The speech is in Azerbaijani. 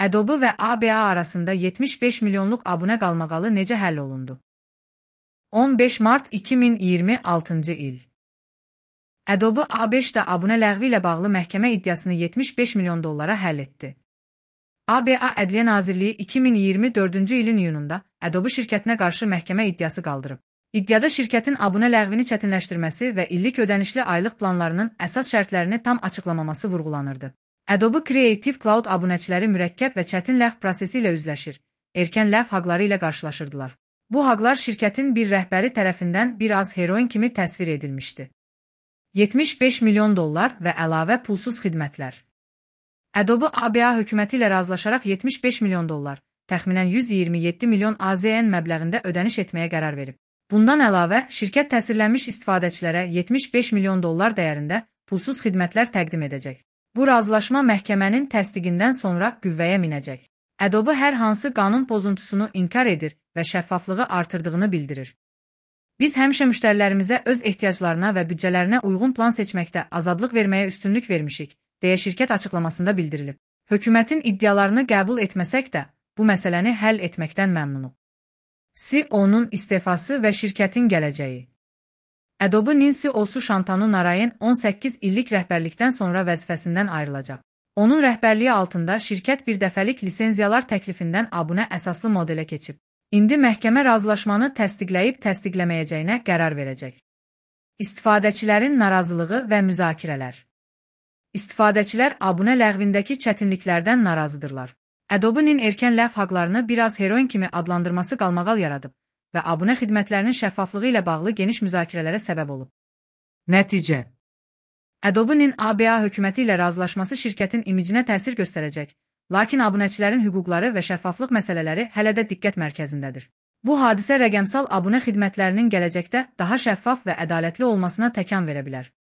Adobe və ABA arasında 75 milyonluq abunə qalmaqalı necə həll olundu? 15 mart 2026-cı il. Adobe A5-də abunə ləğvi ilə bağlı məhkəmə iddiasını 75 milyon dollara həll etdi. ABA Ədliyyə Nazirliyi 2024-cü ilin iyununda Adobe şirkətinə qarşı məhkəmə iddiası qaldırıb. İddiada şirkətin abunə ləğvini çətinləşdirməsi və illik ödənişli aylıq planlarının əsas şərtlərini tam açıqlamaması vurğulanırdı. Adobe Creative Cloud abunəçiləri mürəkkəb və çətin ləğv prosesi ilə üzləşir, erkən ləğv haqları ilə qarşılaşırdılar. Bu haqlar şirkətin bir rəhbəri tərəfindən bir az heroin kimi təsvir edilmişdi. 75 milyon dollar və əlavə pulsuz xidmətlər. Adobe ABA hökuməti ilə razılaşaraq 75 milyon dollar, təxminən 127 milyon AZN məbləğində ödəniş etməyə qərar verib. Bundan əlavə, şirkət təsirlənmiş istifadəçilərə 75 milyon dollar dəyərində pulsuz xidmətlər təqdim edəcək. Bu razılaşma məhkəmənin təsdiqindən sonra qüvvəyə minəcək. Adobe hər hansı qanun pozuntusunu inkar edir və şəffaflığı artırdığını bildirir. Biz həmişə müştərilərimizə öz ehtiyaclarına və büdcələrinə uyğun plan seçməkdə azadlıq verməyə üstünlük vermişik, deyə şirkət açıqlamasında bildirilib. Hökumətin iddialarını qəbul etməsək də, bu məsələni həll etməkdən məmnunuq. CEO-nun istefası və şirkətin gələcəyi. Adobe-nin CEO-su Shantanu Narayan 18 illik rəhbərlikdən sonra vəzifəsindən ayrılacaq. Onun rəhbərliyi altında şirkət bir dəfəlik lisenziyalar təklifindən abunə əsaslı modelə keçib. İndi məhkəmə razılaşmanı təsdiqləyib təsdiqləməyəcəyinə qərar verəcək. İstifadəçilərin narazılığı və müzakirələr. İstifadəçilər abunə ləğvindəki çətinliklərdən narazıdırlar. Adobe-nin erkən ləğv haqlarını biraz heroin kimi adlandırması qalmaqal yaradıb və abunə xidmətlərinin şəffaflığı ilə bağlı geniş müzakirələrə səbəb olub. Nəticə. Adobe-nin ABA hökuməti ilə razılaşması şirkətin imicinə təsir göstərəcək, lakin abunəçilərin hüquqları və şəffaflıq məsələləri hələ də diqqət mərkəzindədir. Bu hadisə rəqəmsal abunə xidmətlərinin gələcəkdə daha şəffaf və ədalətli olmasına təkan verə bilər.